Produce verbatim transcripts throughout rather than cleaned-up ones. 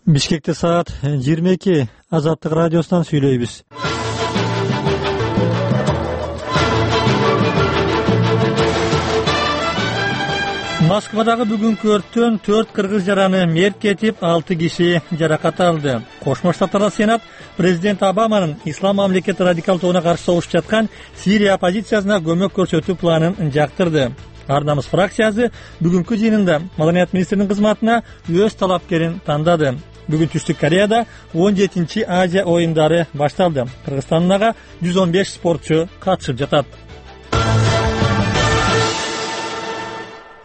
Бишкекте саат жыйырма эки. Азаттык радиосунан сүйлөйбүз. Москвадагы бүгүнкү өрттөн төрт кыргыз жараны мерт кетип, алты киши жаракат алды. Кошмо Штаттарда Сенат президент Обаманын ислам мамлекети радикал тобуна каршы согушуп жаткан Сирия оппозициясына көмөк көрсөтүү планын жактырды. Ар намыс фракциясы бүгүнкү жыйынында Маданият министринин кызматына өз талапкерин тандады. Бүгүн Түштүк Кореяда он жетинчи Азия оюндары башталды. Кыргызстандагы жүз он беш спортчу катышып жатат.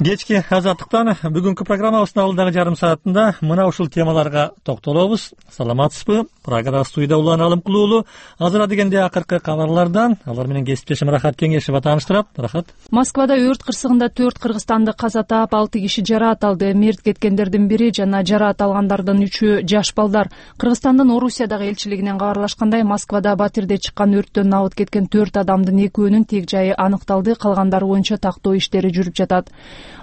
Кечки Азаттыктан бүгүнкү программабыздын алдыдагы жарым саатында мына ушул темаларга токтолобуз. Саламатсызбы? Прагада студияда Улан Алымкулуулу. Азыр дегенде акыркы кабарлардан алар менен кесиптешим Рахат Кеңешева тааныштырат. Рахат. Москвада өрт кырсыгында төрт кыргызстандык каза таап, алты киши жараат алды. Мерт кеткендердин бири жана жараат алгандардын үчөө жаш балдар. Кыргызстандын Орусиядагы элчилигинен кабарлашкандай, Москвада батирде чыккан өрттөн абыт кеткен төрт адамдын экөөнүн тег жайы аныкталды, калгандары боюнча тактоо иштери жүрүп жатат.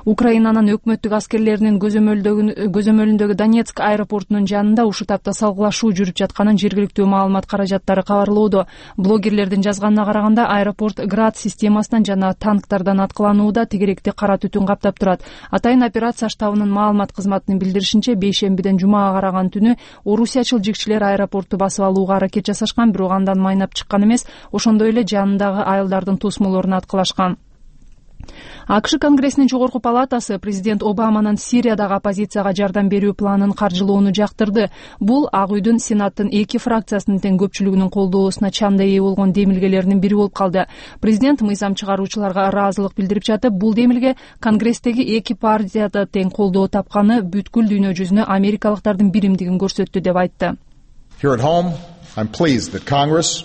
Украинанын өкмөттүк аскерлеринин көзөмөлүндөгү Донецк аэропортунун жанында ушул тапта салгылашуу жүрүп жатканын жергиликтүү маалымат каражаттары кабарлоодо. Блогерлердин жазганына караганда, аэропорт град системасынан жана танктардан аткыланууда, тегеректи кара түтүн каптап турат. Атайын операция штабынын маалымат кызматынын билдиришинче, бейшембиден жумага караган түнү орусиячыл жигчилер аэропортту басып алууга аракет жасашкан, бирок андан майнап чыккан эмес, ошондой эле жанындагы айылдардын тосмолоруна аткылашкан. АКШ Конгрессинин жогорку палатасы президент Обаманын Сириядагы оппозицияга жардам берүү планын каржылоону жактырды. Бул Ак үйдүн Сенаттын эки фракциясынын тең көпчүлүгүнүн колдоосуна чанда ээ болгон демилгелеринин бири болуп калды. Президент мыйзам чыгаруучуларга ыраазылык билдирип жатып, бул демилге Конгресстеги эки партияда тең колдоо тапканы бүткүл дүйнө жүзүнө америкалыктардын биримдигин көрсөттү деп айтты. Here at home, I'm pleased that Congress,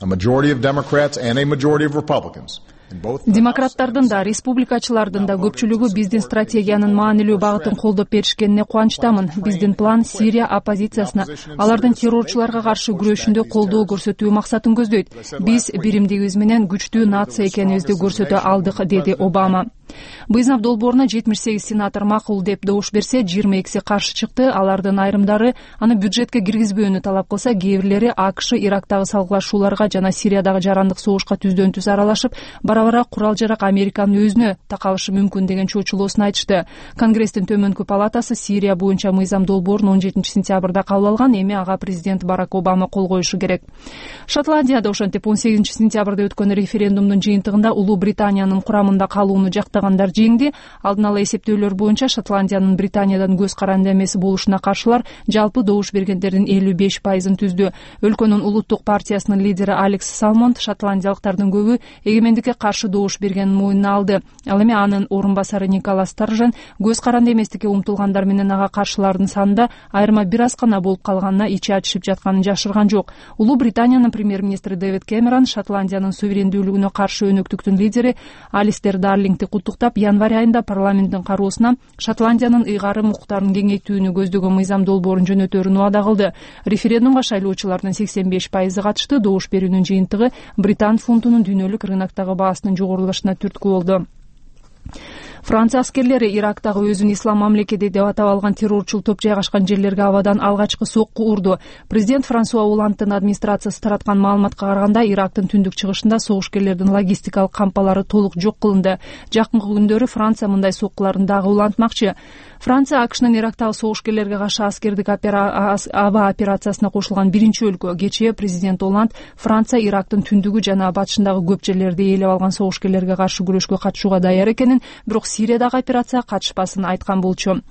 a majority of Democrats and a majority of Republicans, демократтардын да, республикачылардын да көпчүлүгү биздин стратегиянын маанилүү багытын колдоп беришкенине кубанычтамын. Биздин план Сирия оппозициясына, алардын террорчуларга каршы күрөшүндө колдоо көрсөтүү максатын көздөйт. Биз биримдигибиз менен күчтүү нация экенибизди көрсөтө алдык, деди Обама. Быйзнап долбооруна жетимиш сегиз сенатор макул деп добуш берсе, жыйырма экиси каршы чыкты. Алардын айрымдары аны бюджетке киргизбөөнү талап кылса, кээ бирлери АКШ Ирактагы салгылашууларга жана Сириядагы жарандык согушка түздөн түз аралашып, бара-бара курал-жарак Американын өзүнө такалышы мүмкүн деген чоочулоосун айтышты. Конгресстин төмөнкү палатасы Сирия боюнча мыйзам долбоорун он жетинчи сентябрда кабыл алган, эми ага президент Барак Обама кол коюшу керек. Шотландияда ошентип он сегизинчи сентябрда өткөн референдумдун жыйынтыгында Улуу Британиянын курамында калууну жактагандар жеңди. Алдын ала эсептөөлөр боюнча Шотландиянын Британиядан көз каранды эмес болушуна каршылар жалпы добуш бергендердин элүү беш пайызын түздү. Өлкөнүн улуттук партиясынын лидери Алекс Салмонд шотландиялыктардын көбү эгемендикке каршы добуш бергенин мойнуна алды. Ал эми анын орун басары Николас Старжен көз каранды эместикке умтулгандар менен ага каршылардын санында айырма бир аз гана болуп калганына ичи ачышып жатканын жашырган жок. Улуу Британиянын премьер-министри Дэвид Кэмерон Шотландиянын суверендүүлүгүнө каршы өнөктүктүн лидери Алистер Дарлингти куттуктап, январь айында парламенттин кароосуна Шотландиянын ыйгарым укуктарын кеңейтүүнү көздөгөн мыйзам долбоорун жөнөтөөрүн убада кылды. Референдумга шайлоочулардын сексен беш пайызы катышты. Добуш берүүнүн жыйынтыгы британ фунтунун дүйнөлүк рыноктогу баасынын жогорулашына түрткү болду. Франция аскерлери Ирактагы өзүн ислам мамлекети деп атап алган террорчул топ жайгашкан жерлерге абадан алгачкы сокку урду. Президент Франсуа Олландтын администрациясы тараткан маалыматка караганда, Ирактын түндүк чыгышында согушкерлердин логистикалык кампалары толук жок кылынды. Жакынкы күндөрү Франция мындай соккуларын дагы улантмакчы. Франция АКШнын Ирактагы согушкерлерге каршы аскердик аба операциясына кошулган биринчи өлкө. Кечээ президент Олланд Франция Ирактын түндүгү жана батышындагы көп жерлерди ээлеп алган согушкерлерге каршы күрөшкө катышууга даяр экенин, бирок Сириядагы операцияга катышпасын айткан болчу.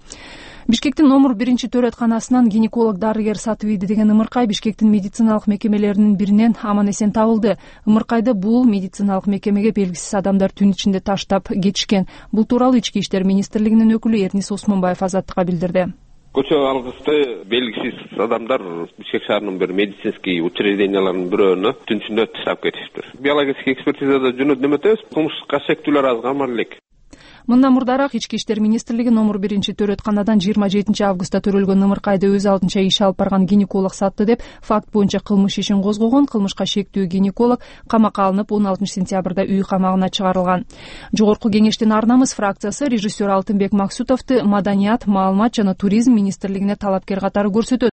Бишкектин номер биринчи төрөтканасынан гинеколог дарыгер сатып ийди деген ымыркай Бишкектин медициналык мекемелеринин биринен аман эсен табылды. Ымыркайды бул медициналык мекемеге белгисиз адамдар түн ичинде таштап кетишкен. Бул тууралуу Ички иштер министрлигинин өкүлү Эрнис Осмонбаев Азаттыкка билдирди. Көчө алгысты белгисиз адамдар Бишкек шаарынын бир медицинский учрежденияларынын бирөөнө түн ичинде таштап кетиптир. Биологический экспертизада жөнөтүп эметебиз, кылмыш кашектүүлөр аз камар элек. Мындан мурдараак ички иштер министрлиги номер биринчи төрөтканадан жыйырма жетинчи августта төрөлгөн ымыркайды өз алдынча иш алып барган гинеколог сатты деп факт боюнча кылмыш ишин козгогон. Кылмышка шектүү гинеколог камакка алынып он алтынчы сентябрда үй камагына чыгарылган. Жогорку кеңештин ар намыс фракциясы режиссер Алтынбек Максутовду Маданият, маалымат жана туризм министрлигине талапкер катары көрсөтөт.